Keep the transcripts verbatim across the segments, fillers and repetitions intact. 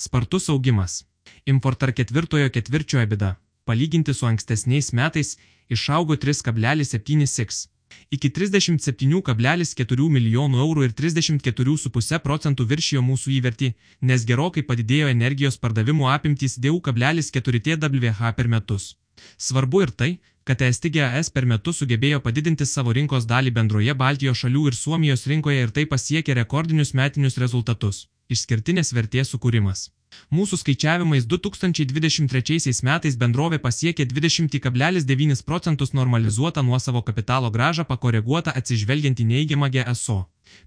Spartus augimas. Importar ketvirtojo ketvirčio EBITDA, palyginti su ankstesniais metais, išaugo tris kablelis septyni x iki trisdešimt septynių kablelis keturių milijonų eurų ir trisdešimt keturių kablelis penki procentų viršijo mūsų įvertį, nes gerokai padidėjo energijos pardavimų apimtys du kablelis keturi terawatt per metus. Svarbu ir tai, kad S T G A S per metus sugebėjo padidinti savo rinkos dalį bendroje Baltijos šalių ir Suomijos rinkoje ir tai pasiekė rekordinius metinius rezultatus – išskirtinės vertės sukūrimas. Mūsų skaičiavimais du tūkstančiai dvidešimt trečiaisiais metais bendrovė pasiekė dvidešimt kablelis devynis procentus normalizuotą nuosavo kapitalo grąžą pakoreguotą atsižvelgiant į neigiamą G S O,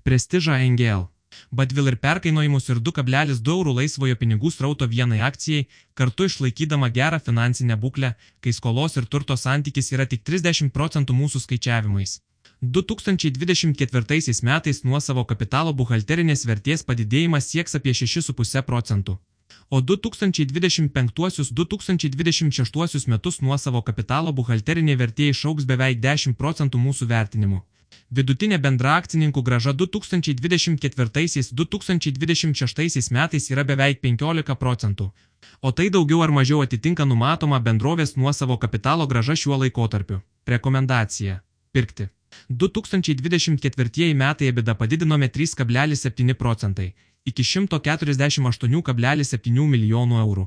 prestižą N G L, badvil ir perkainojimus ir du kablelis du eurų laisvojo pinigų srauto vienai akcijai, kartu išlaikydama gerą finansinę būklę, kai skolos ir turto santykis yra tik trisdešimt procentų mūsų skaičiavimais. du tūkstančiai dvidešimt ketvirtaisiais metais nuosavo kapitalo buhalterinės vertės padidėjimas sieks apie šešis kablelis penki procentų. O du tūkstančiai dvidešimt penktuosius - du tūkstančiai dvidešimt šeštuosius metus nuosavo kapitalo buhalterinė vertė išaugs beveik dešimt procentų mūsų vertinimu. Vidutinė bendra akcininkų grąža du tūkstančiai dvidešimt ketvirtaisiais - du tūkstančiai dvidešimt šeštaisiais metais yra beveik penkiolika procentų, o tai daugiau ar mažiau atitinka numatoma bendrovės nuosavo kapitalo grąža šiuo laikotarpiu. Rekomendacija – pirkti. du tūkstančiai dvidešimt ketvirtieji metai EBITDA padidinome trys kablelis septyni procentai iki šimto keturiasdešimt aštuonių kablelis septynių milijonų eurų.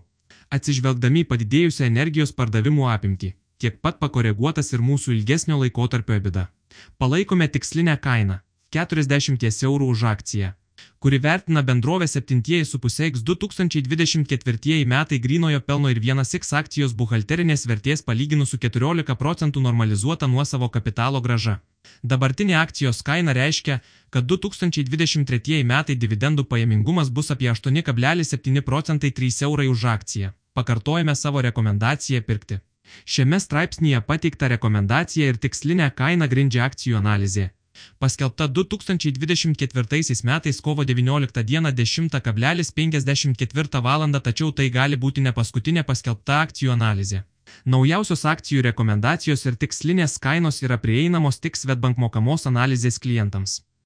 Atsižvelgdami į padidėjusią energijos pardavimų apimtį, tiek pat pakoreguotas ir mūsų ilgesnio laikotarpio EBITDA. Palaikome tikslinę kainą – keturiasdešimt eurų už akciją, kuri vertina bendrovę septyni kablelis penki x du tūkstančiai dvidešimt ketvirtieji metai grynojo pelno ir vienas x akcijos buhalterinės vertės palyginus su keturiolika procentų normalizuota nuosavo kapitalo grąža. Dabartinė akcijos kaina reiškia, kad du tūkstančiai dvidešimt tretieji metai dividendų pajamingumas bus apie aštuoni kablelis septyni procentai trys eurai už akciją. Pakartojame savo rekomendaciją pirkti. Šiame straipsnyje pateikta rekomendacija ir tikslinę kainą grindžia akcijų analizė. Paskelbta du tūkstančiai dvidešimt ketvirtaisiais metais kovo devynioliktą dieną dešimtą penkiasdešimt ketvirtą valandą, tačiau tai gali būti ne paskutinė paskelbta akcijų analizė. Naujausios akcijų rekomendacijos ir tikslinės kainos yra prieinamos tik Swedbank mokamos analizės klientams.